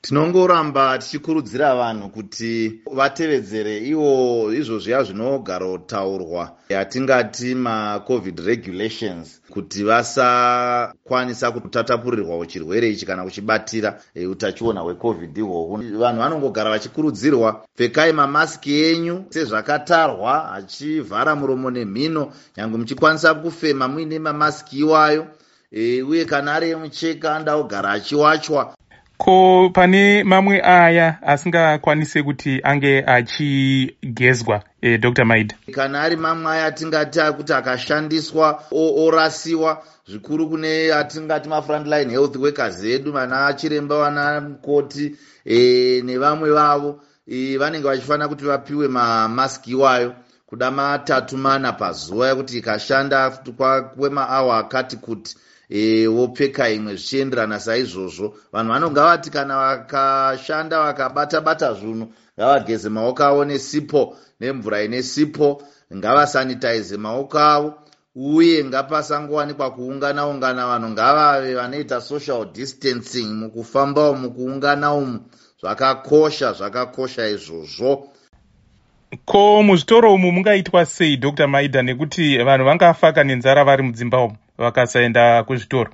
Tinongoramba tichikurudzira vanhu kuti vatevedzere iwo izvo zviya zvinogarotaurwa, yatingati maCovid regulations, kuti vasakwanisa kutatapurirwawo chirwere ichi kana kuchibatira utachiona hweCovid ihwohwu. Vanhu vanongogara vachikurudzirwa, pfekai mamasiki enyu sezvakatarwa, achivhara muromo nemhino, nyange muchikwanisa kufema muine mamasiki iwayo, uye kana ari emucheka anoda kugara achiwachwa. Ko pane mamwe aya asingakwanise kuti ange achigezwa, Dr Maida? Kana ari mamwe aya atingati akuti akashandiswa orasiwa, zvikuru kune atingati mafrontline health workers edu, vana chiremba, vana mukoti nevamwe vavo, vanenge vachifanira kuti vapiwe mamaski iwayo kuda matatu mana pazuva, yekuti ikashanda kwemaawa akati kuti, wopfeka imwe, zvichienderana saizvozvo. Vanhu vanonga vati kana vakashanda, vakabata bata zvinhu, ngavageze maoko avo nesipo, nemvura ine sipo, ngavasanitaize maoko avo, uye ngapasangowanikwa kuungana ungana. Vanhu ngavave vanoita social distancing mukufamba umu, mukuungana umu. Zvakakosha, zvakakosha izvozvo. Ko muzvitoro umu mungaitwa sei, Dr Maida, nekuti vanhu vangafaka nenzara vari mudzimba umu vakasaenda kuzvitoro?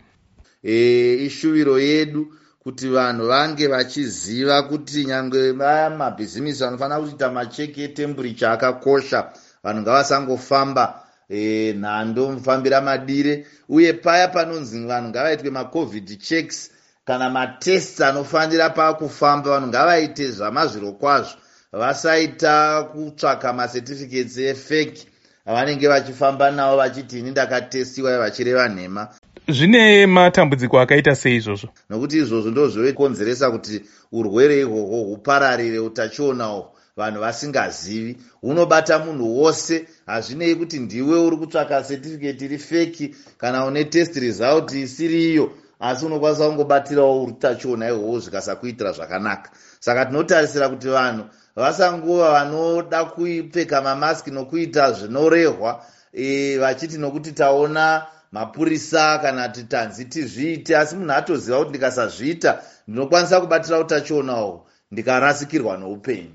Ishuviro yedu kuti vanhu vange vachiziva kuti nyange vaya mabhizimisi vanofanira kuita macheki etemperature akakosha. Vanhu ngavasangofamba nhando, mufambira madire, uye paya panonzi vanhu ngavaitwe maCovid checks kana matests anofanira pakufamba, vanhu ngavaite zvamazviro kwazvo, vasaita kutsvaka macertificates efake avanenge vachifamba navo vachiti ini ndakatestiwa, vachireva nhema. Zvine matambudziko akaita sei izvozvo? Nokuti izvozvo ndo zvokonzeresa kuti urwere ihwohwo hupararire, utachiona uhwu, vanhu vasingazivi. Hunobata munhu wose, hazvinei kuti ndiwe uri kutsvaka certificate iri fake kana une test result isiriyo, asi unokwanisa kungobatirawo utachiona ihwohwo zvikasakuitira zvakanaka. Saka tinotarisira kuti vanhu vasangova vanoda kupfeka mamaski nokuita zvinorehwa, vachiti nokuti taona mapurisa kana kuti tanzi tizviite, asi munhu atoziva kuti ndikasazviita ndinokwanisa kubatira utachiona uhwu ndikarasikirwa noupenyu.